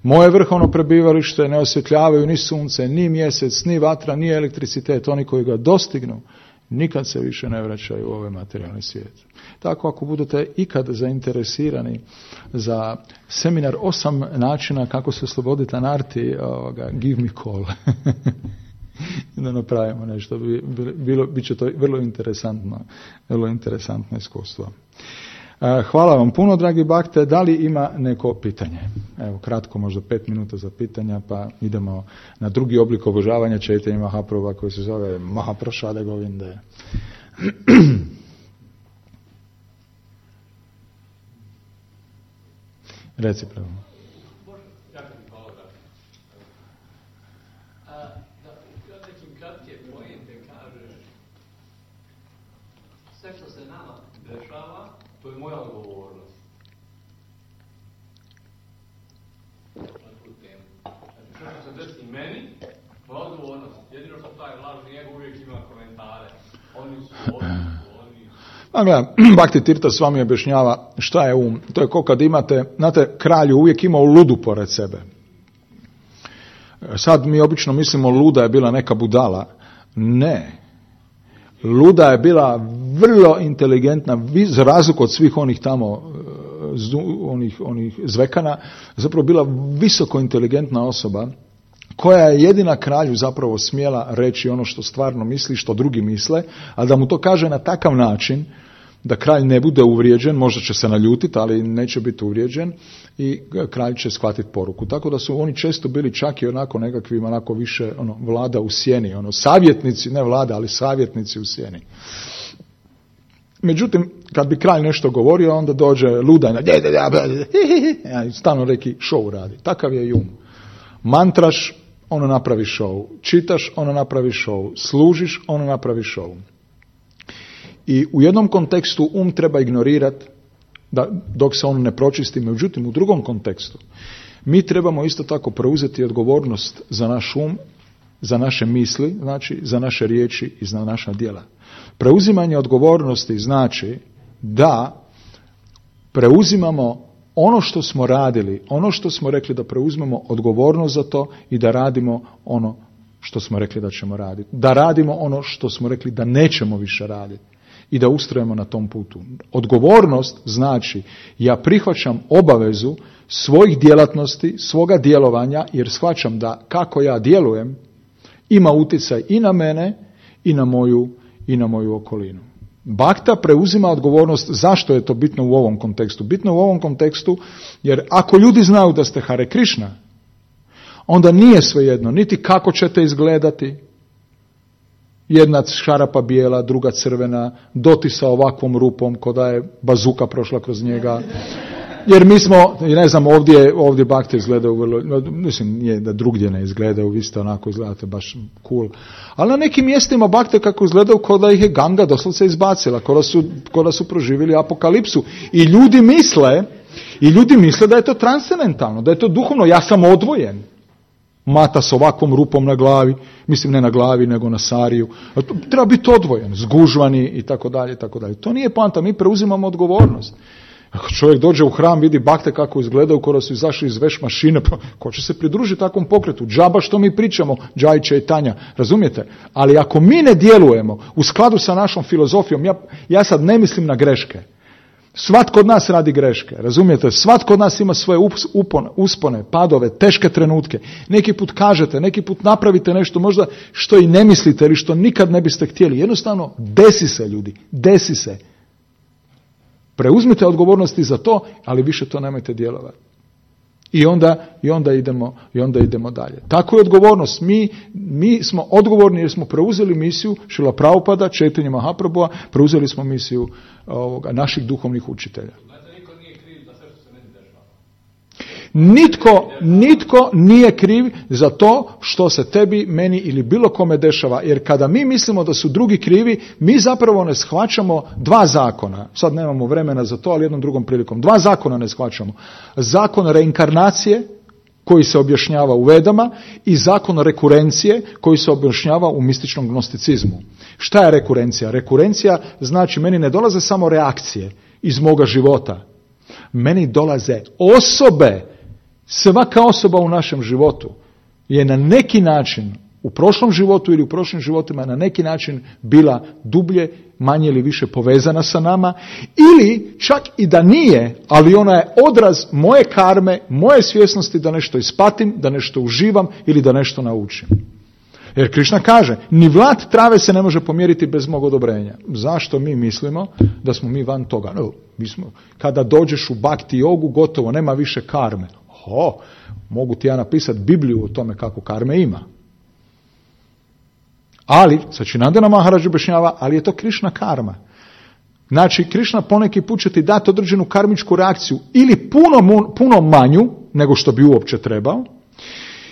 Moje vrhovno prebivalište ne osvjetljavaju ni sunce, ni mjesec, ni vatra, ni elektricitet. Oni koji ga dostignu, nikad se više ne vraćaju u ovaj materijalni svijet. Tako ako budete ikad zainteresirani za seminar osam načina kako se osloboditi anarti, ovoga, give me call. Da napravimo nešto. Bilo, bit će to vrlo interesantno, vrlo interesantno iskustvo. Hvala vam puno, dragi bakte. Da li ima neko pitanje? Evo, kratko, možda pet minuta za pitanja, pa idemo na drugi oblik obožavanja Chaitanya Mahaprabhu koji se zove Mahaprasada Govinde. Reci pravo. Sve što se nama dešava, to je moja odgovornost. Na tu temu. Znači, što se desi meni, moja odgovornost. Jedino što taj lažni njega uvijek ima komentare. Oni su oni, oni. A gledam, Bhakti Tirtha s vami objašnjava šta je um. To je ko kad imate, znate, kralj uvijek imao ludu pored sebe. Sad mi obično mislimo luda je bila neka budala. Ne. Luda je bila vrlo inteligentna, za razliku od svih onih tamo, onih, onih zvekana, zapravo bila visoko inteligentna osoba, koja je jedina kralju zapravo smjela reći ono što stvarno misli, što drugi misle, a da mu to kaže na takav način da kralj ne bude uvrijeđen, možda će se naljutiti, ali neće biti uvrijeđen i kralj će shvatiti poruku. Tako da su oni često bili čak i onako nekakvim, onako više ono, vlada u sjeni, ono, savjetnici, ne vlada, ali savjetnici u sjeni. Međutim, kad bi kralj nešto govorio, onda dođe ludajna, stalno neki show radi. Takav je i um. Mantraš, ono napravi show. Čitaš, ono napravi show. Služiš, ono napravi show. I u jednom kontekstu um treba ignorirati da, dok se on ne pročisti, međutim u drugom kontekstu mi trebamo isto tako preuzeti odgovornost za naš um, za naše misli, znači za naše riječi i za naša djela. Preuzimanje odgovornosti znači da preuzimamo ono što smo radili, ono što smo rekli da preuzmemo odgovornost za to i da radimo ono što smo rekli da ćemo raditi. Da radimo ono što smo rekli da nećemo više raditi. I da ustrajemo na tom putu. Odgovornost znači ja prihvaćam obavezu svojih djelatnosti, svoga djelovanja, jer shvaćam da kako ja djelujem ima utjecaj i na mene i na moju, i na moju okolinu. Bhakta preuzima odgovornost. Zašto je to bitno u ovom kontekstu? Bitno u ovom kontekstu jer ako ljudi znaju da ste Hare Krishna, onda nije svejedno niti kako ćete izgledati, jedna šarapa bijela, druga crvena, doti sa ovakvom rupom, ko da je bazuka prošla kroz njega. Jer mi smo, ne znam, ovdje, ovdje bakte izgledaju vrlo, mislim, nije da drugdje ne izgledaju, vi ste onako izgledate baš cool. Ali na nekim mjestima bakte kako izgledaju, ko da ih je Ganga doslovce izbacila, ko da su, ko da su proživjeli apokalipsu. I ljudi misle, i ljudi misle da je to transcendentalno, da je to duhovno, ja sam odvojen. Mata s ovakvom rupom na glavi, mislim ne na glavi nego na sariju, treba biti odvojen, zgužvani i tako dalje i tako dalje. To nije poanta, mi preuzimamo odgovornost. Ako čovjek dođe u hram, vidi bakte kako izgledaju, kada su izašli iz veš mašine, pa ko će se pridružiti takvom pokretu? Džaba što mi pričamo, Džaj Čaitanja, razumijete? Ali ako mi ne djelujemo u skladu sa našom filozofijom, ja, ja sad ne mislim na greške. Svatko od nas radi greške, razumijete? Svatko od nas ima svoje upone, uspone, padove, teške trenutke. Neki put kažete, neki put napravite nešto možda što i ne mislite ili što nikad ne biste htjeli. Jednostavno, desi se ljudi, desi se. Preuzmite odgovornosti za to, ali više to nemojte djelovati. I onda, i onda, idemo, i onda idemo dalje. Tako je odgovornost. Mi, mi smo odgovorni jer smo preuzeli misiju Šrila Prabhupada, Chaitanya Mahaprabhua, preuzeli smo misiju ovoga, naših duhovnih učitelja. Nitko, nitko nije kriv za to što se tebi, meni ili bilo kome dešava. Jer kada mi mislimo da su drugi krivi, mi zapravo ne shvaćamo dva zakona. Sad nemamo vremena za to, ali jednom drugom prilikom. Dva zakona ne shvaćamo. Zakon reinkarnacije koji se objašnjava u Vedama i zakon rekurencije koji se objašnjava u mističnom gnosticizmu. Šta je rekurencija? Rekurencija znači meni ne dolaze samo reakcije iz moga života. Meni dolaze osobe. Svaka osoba u našem životu je na neki način u prošlom životu ili u prošlim životima na neki način bila dublje, manje ili više povezana sa nama, ili čak i da nije, ali ona je odraz moje karme, moje svjesnosti da nešto ispatim, da nešto uživam ili da nešto naučim. Jer Krišna kaže, ni vlat trave se ne može pomjeriti bez mog odobrenja. Zašto mi mislimo da smo mi van toga? No, mi smo, kada dođeš u bhakti jogu, gotovo, nema više karme. Ho, mogu ti ja napisati Bibliju o tome kako karme ima. Ali, Sačinandana Maharaj objašnjava, ali je to Krišna karma. Znači, Krišna poneki put će ti dati određenu karmičku reakciju ili puno, puno manju nego što bi uopće trebao,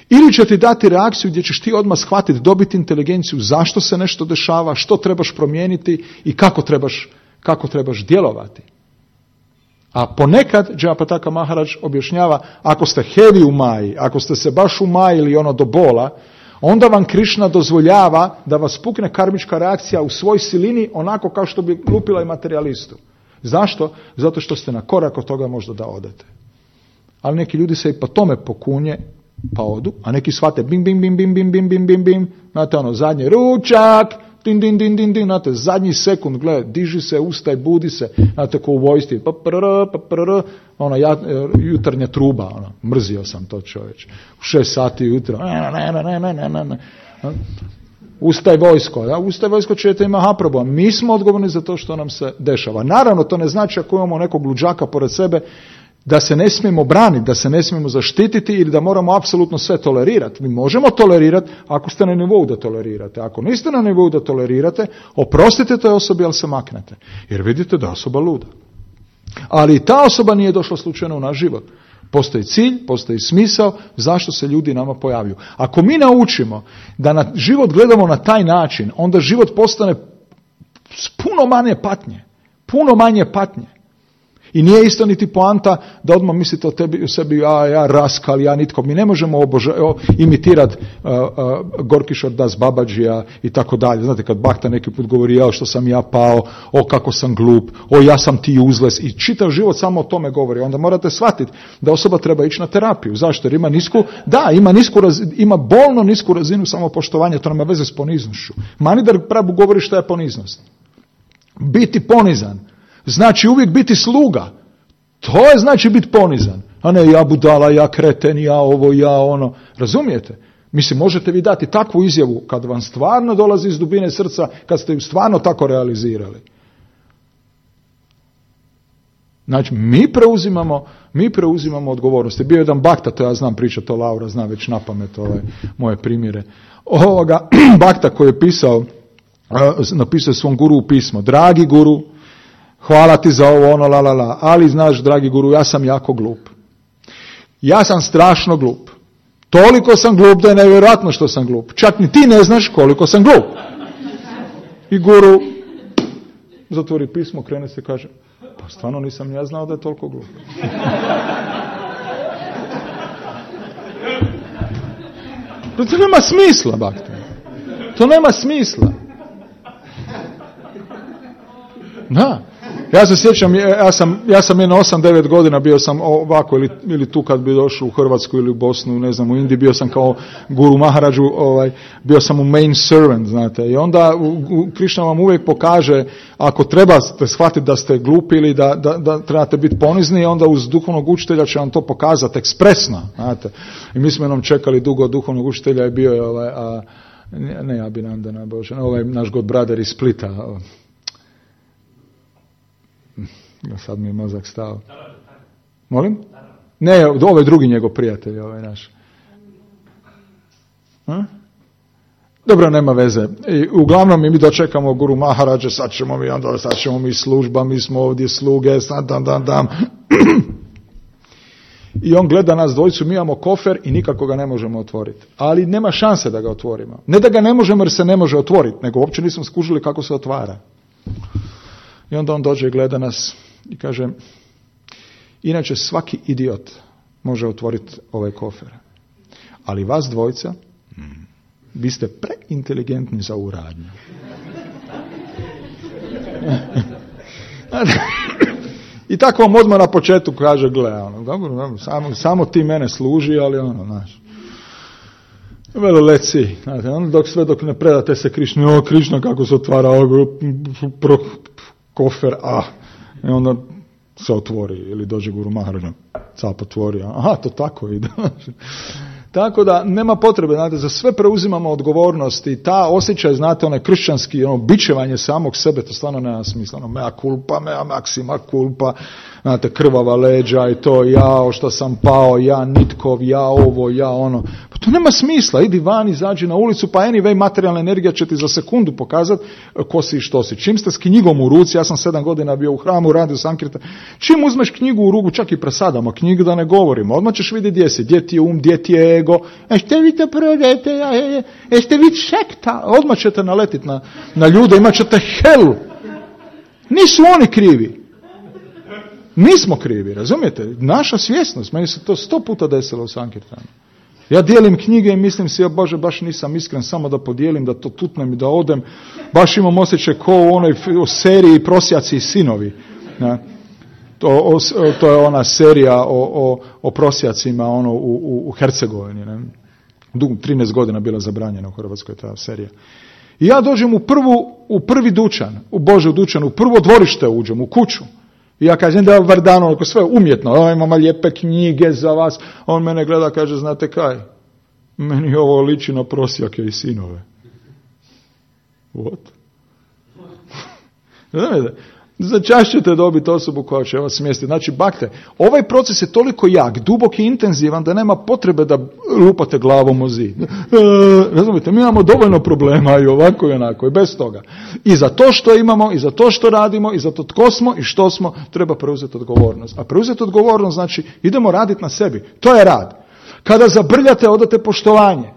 ili će ti dati reakciju gdje ćeš ti odmah shvatiti, dobiti inteligenciju zašto se nešto dešava, što trebaš promijeniti i kako trebaš, kako trebaš djelovati. A ponekad, Jayapataka Maharaj objašnjava, ako ste heavy u maji, ako ste se baš umajili ono do bola, onda vam Krišna dozvoljava da vas pukne karmička reakcija u svoj silini onako kao što bi lupila i materialistu. Zašto? Zato što ste na korak od toga možda da odete. Ali neki ljudi se i po tome pokunje, pa odu, a neki shvate bim, bim, bim, bim, bim, bim, bim, bim, bim, znate ono, zadnji ručak, din, din, din, din, din, znate, zadnji sekund, gled, diži se, ustaj, budi se, znate, ko u vojsci, pa prr, pa prr, ona ja, jutarnja truba, ona, mrzio sam to čovječ, u šest sati jutra, ne, ne, ne, ne, ne, ne, ne, ustaj vojsko, da, ustaj vojsko ćete ima haproba, mi smo odgovorni za to što nam se dešava. Naravno, to ne znači ako imamo nekog luđaka pored sebe, da se ne smijemo braniti, da se ne smijemo zaštititi ili da moramo apsolutno sve tolerirati. Mi možemo tolerirati ako ste na nivou da tolerirate. Ako niste na nivou da tolerirate, oprostite toj osobi, ali se maknete. Jer vidite da je osoba luda. Ali i ta osoba nije došla slučajno u naš život. Postoji cilj, postoji smisao zašto se ljudi nama pojavljuju. Ako mi naučimo da na život gledamo na taj način, onda život postane puno manje patnje. Puno manje patnje. I nije isto niti poanta da odmah mislite o tebi, o sebi, ja, ja raskal, ja nitko. Mi ne možemo oboža, imitirati uh, uh, Gorkišor Das Babadžija i tako dalje. Znate, kad Bhakta neki put govori, ja što sam ja pao, o kako sam glup, o ja sam ti useless, i čitav život samo o tome govori. Onda morate shvatiti da osoba treba ići na terapiju. Zašto? Jer ima nisku, da, ima nisku razinu, ima bolno nisku razinu samopoštovanja, to nema veze s poniznošću. Manidar Prabhu govori šta je poniznost. Biti ponizan znači uvijek biti sluga. To je znači biti ponizan. A ne ja budala, ja kreten, ja ovo, ja ono. Razumijete? Mislim, možete vi dati takvu izjavu kad vam stvarno dolazi iz dubine srca, kad ste ju stvarno tako realizirali. Znači, mi preuzimamo, mi preuzimamo odgovornosti. Bio je jedan Bhakta, to ja znam pričati, to Laura zna već na pamet ove moje primjere. Ovoga Bhakta koji je pisao, napisao svom guru u pismo. Dragi guru, hvala ti za ovo, ono, la, la, la. Ali, znaš, dragi guru, ja sam jako glup. Ja sam strašno glup. Toliko sam glup da je nevjerojatno što sam glup. Čak ni ti ne znaš koliko sam glup. I guru zatvori pismo, krene se i kaže, pa stvarno nisam ja znao da je toliko glup. To nema smisla, Bhakti. To nema smisla. Da. Ja se sjećam, ja sam, ja sam jedno osam devet godina bio sam ovako ili, ili tu kad bi došao u Hrvatsku ili u Bosnu, ne znam, u Indiji, bio sam kao guru Maharadžu, ovaj, bio sam u main servant, znate, i onda u, u, Krišna vam uvijek pokaže, ako trebate shvatiti da ste glupi ili da, da, da trebate biti ponizni, onda uz duhovnog učitelja će vam to pokazati ekspresno, znate. I mi smo jednom čekali dugo duhovnog učitelja i bio je ovaj, a, ne, ne Abhinandana, Bože, ovaj naš god brother iz Splita, ovaj. Sad mi je mozak stao. Molim? Ne, ovo je drugi njegov prijatelj, ovaj naš. Ha? Dobro, nema veze. I uglavnom mi dočekamo guru Maharadže, sad ćemo mi onda, sad ćemo mi služba, mi smo ovdje sluge, sad dam, dam, dam. I on gleda nas dvojicu, mi imamo kofer i nikako ga ne možemo otvoriti. Ali nema šanse da ga otvorimo. Ne da ga ne možemo jer se ne može otvoriti, nego uopće nismo skužili kako se otvara. I onda on dođe i gleda nas i kaže, inače svaki idiot može otvoriti ovaj kofer. Ali vas dvojca, vi ste preinteligentni za ovu radnju. I tako vam odmah na početku kaže, gle, ono, dobro, samo, samo ti mene služi, ali ono, znaš, velo leci, znate, ono, dok sve dok ne predate se Krišni, o, Krišna kako se otvara o, pro, kofer, a, i onda se otvori, ili dođe Guru Maharaj, cap otvori, aha, to tako ide. Tako da nema potrebe, znate, za sve preuzimamo odgovornost i ta osjećaj, znate, onaj kršćanski, ono, bičevanje samog sebe, to stvarno nema smisla, ono, mea culpa, mea maxima culpa, znate, krvava leđa i to, ja što sam pao, ja nitkov, ja ovo, ja ono, pa to nema smisla, idi van, izađi na ulicu, pa anyway, materijalna energija će ti za sekundu pokazati ko si i što si. Čim ste s knjigom u ruci, ja sam sedam godina bio u hramu, radio Sankirtan, čim uzmeš knjigu u ruku, čak i presadamo knjigu da ne govorimo, odmah ćeš vidjeti gdje si, gdje ti je um, gdje ti je ego, e ste vi to prodajete, e ste vi sekta, odmah ćete naletiti na, na ljude, imat ćete helu. Nisu oni krivi. Mi smo krivi, razumijete? Naša svjesnost, meni se to sto puta desilo u Sankirtanu. Ja dijelim knjige i mislim si, ja Bože, baš nisam iskren, samo da podijelim, da to tutnem i da odem. Baš imam osjećaj ko u onoj seriji Prosjaci i sinovi. Ne? To, o, to je ona serija o, o, o prosjacima ono, u, u, u Hercegovini. Ne? Dug, trinaest godina bila zabranjena u Hrvatskoj ta serija. I ja dođem u, prvu, u prvi dućan, u Božju dućan, u prvo dvorište uđem, u kuću. I ja kažem da je Vardano, ako sve umjetno, o, imamo lijepe knjige za vas. On mene gleda, kaže, znate kaj? Meni ovo liči na prosjake i sinove. What? Znate, za čas ćete dobiti osobu koja će vas smjestiti. Znači, bakte, ovaj proces je toliko jak, dubok i intenzivan da nema potrebe da lupate glavom o zid. E, razumite, mi imamo dovoljno problema i ovako i onako i bez toga. I za to što imamo, i za to što radimo, i za to tko smo i što smo, treba preuzeti odgovornost. A preuzeti odgovornost znači idemo raditi na sebi. To je rad. Kada zabrljate, odate poštovanje.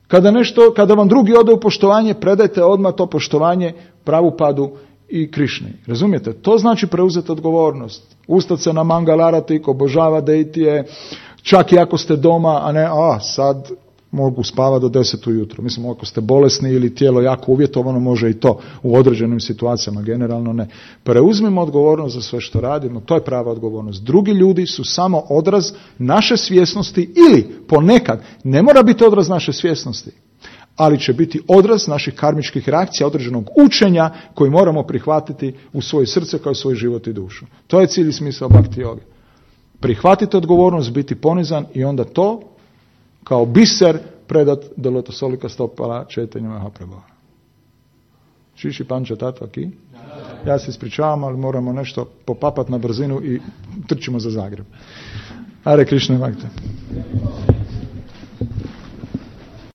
Kada nešto, kada vam drugi ode u poštovanje, predajte odmah to poštovanje Pravupadu i Krišni. Razumijete? To znači preuzeti odgovornost. Ustati se na Mangalarati, obožava Deitije, čak i ako ste doma, a ne, a sad mogu spavati do deset ujutro. Mislim, ako ste bolesni ili tijelo jako uvjetovano, može i to u određenim situacijama, generalno ne. Preuzmimo odgovornost za sve što radimo, to je prava odgovornost. Drugi ljudi su samo odraz naše svjesnosti ili ponekad, ne mora biti odraz naše svjesnosti, ali će biti odraz naših karmičkih reakcija, određenog učenja koji moramo prihvatiti u svoje srce kao svoj život i dušu. To je cilj i smisao Bhakti joge. Prihvatiti odgovornost, biti ponizan i onda to kao biser predat do lotosolika stopala Chaitanya Mahaprabhu. Šiši panča tatva ki? Ja se ispričavam, ali moramo nešto popapati na brzinu i trčimo za Zagreb. Hare Krishna Bhakti.